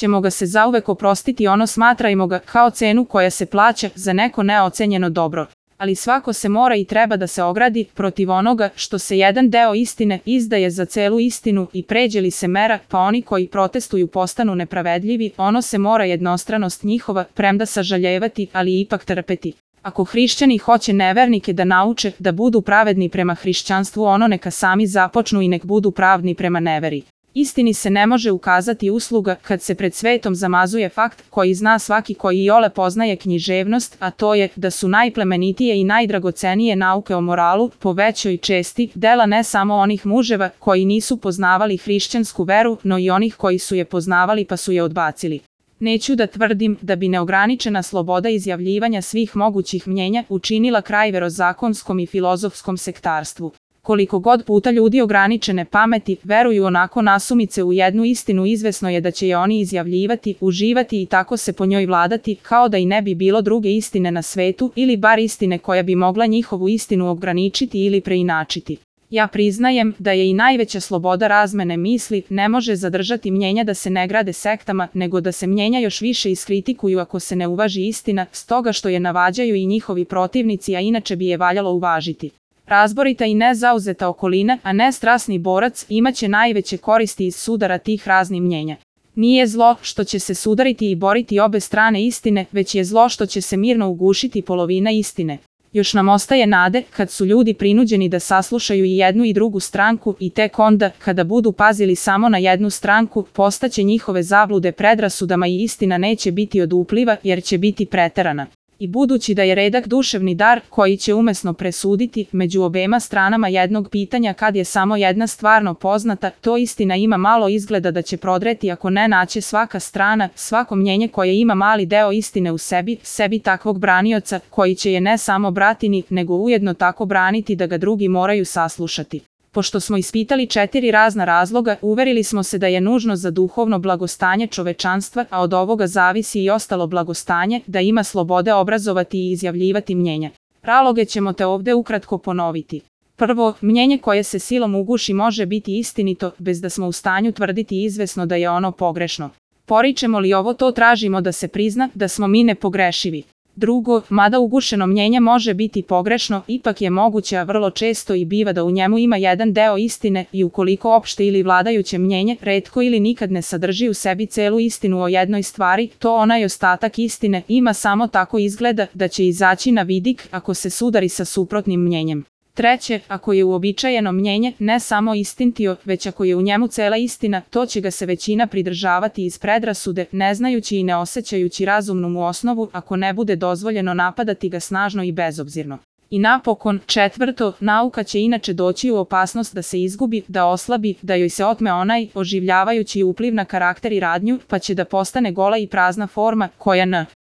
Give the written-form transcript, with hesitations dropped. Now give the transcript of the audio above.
ćemo ga se zauvek oprostiti, ono smatrajmo ga kao cenu koja se plaća za neko neocenjeno dobro. Ali svako se mora i treba da se ogradi protiv onoga što se jedan deo istine izdaje za celu istinu i pređe li se mera, pa oni koji protestuju postanu nepravedljivi, ono se mora jednostranost njihova premda sažaljevati, ali ipak trpeti. Ako hrišćani hoće nevernike da nauče da budu pravedni prema hrišćanstvu, ono neka sami započnu i nek budu pravni prema neveri. Istini se ne može ukazati usluga kad se pred svetom zamazuje fakt koji zna svaki koji iole poznaje književnost, a to je da su najplemenitije i najdragocenije nauke o moralu po većoj česti dela ne samo onih muževa koji nisu poznavali hrišćansku veru, no i onih koji su je poznavali pa su je odbacili. Neću da tvrdim da bi neograničena sloboda izjavljivanja svih mogućih mnjenja učinila kraj verozakonskom i filozofskom sektarstvu. Koliko god puta ljudi ograničene pameti veruju onako nasumice u jednu istinu, izvesno je da će je oni izjavljivati, uživati i tako se po njoj vladati, kao da i ne bi bilo druge istine na svetu ili bar istine koja bi mogla njihovu istinu ograničiti ili preinačiti. Ja priznajem da je i najveća sloboda razmene misli ne može zadržati mnjenja da se ne grade sektama, nego da se mnjenja još više iskritikuju ako se ne uvaži istina, stoga što je navađaju i njihovi protivnici, a inače bi je valjalo uvažiti. Razborita i nezauzeta okolina, a ne strasni borac, imaće najveće koristi iz sudara tih raznih mnjenja. Nije zlo što će se sudariti i boriti obe strane istine, već je zlo što će se mirno ugušiti polovina istine. Još nam ostaje nade kad su ljudi prinuđeni da saslušaju i jednu i drugu stranku i tek onda, kada budu pazili samo na jednu stranku, postaće njihove zablude predrasudama i istina neće biti odupliva jer će biti preterana. I budući da je redak duševni dar koji će umesno presuditi među obema stranama jednog pitanja kad je samo jedna stvarno poznata, to istina ima malo izgleda da će prodreti ako ne naće svaka strana, svako mnjenje koje ima mali deo istine u sebi takvog branioca koji će je ne samo bratini, nego ujedno tako braniti da ga drugi moraju saslušati. Pošto smo ispitali 4 razna razloga, uverili smo se da je nužno za duhovno blagostanje čovečanstva, a od ovoga zavisi i ostalo blagostanje, da ima slobode obrazovati i izjavljivati mnjenja. Razloge ćemo te ovde ukratko ponoviti. Prvo, mnjenje koje se silom uguši može biti istinito, bez da smo u stanju tvrditi izvesno da je ono pogrešno. Poričemo li ovo, to tražimo da se prizna da smo mi nepogrešivi. Drugo, mada ugušeno mnjenje može biti pogrešno, ipak je moguće, a vrlo često i biva da u njemu ima jedan deo istine i ukoliko opšte ili vladajuće mnjenje retko ili nikad ne sadrži u sebi celu istinu o jednoj stvari, to onaj ostatak istine ima samo tako izgleda da će izaći na vidik ako se sudari sa suprotnim mnjenjem. Treće, ako je uobičajeno mnjenje ne samo istinito, već ako je u njemu cela istina, to će ga se većina pridržavati iz predrasude, ne znajući i ne osjećajući razumnu mu osnovu, ako ne bude dozvoljeno napadati ga snažno i bezobzirno. I napokon, četvrto, nauka će inače doći u opasnost da se izgubi, da oslabi, da joj se otme onaj oživljavajući upliv na karakter i radnju, pa će da postane gola i prazna forma, koja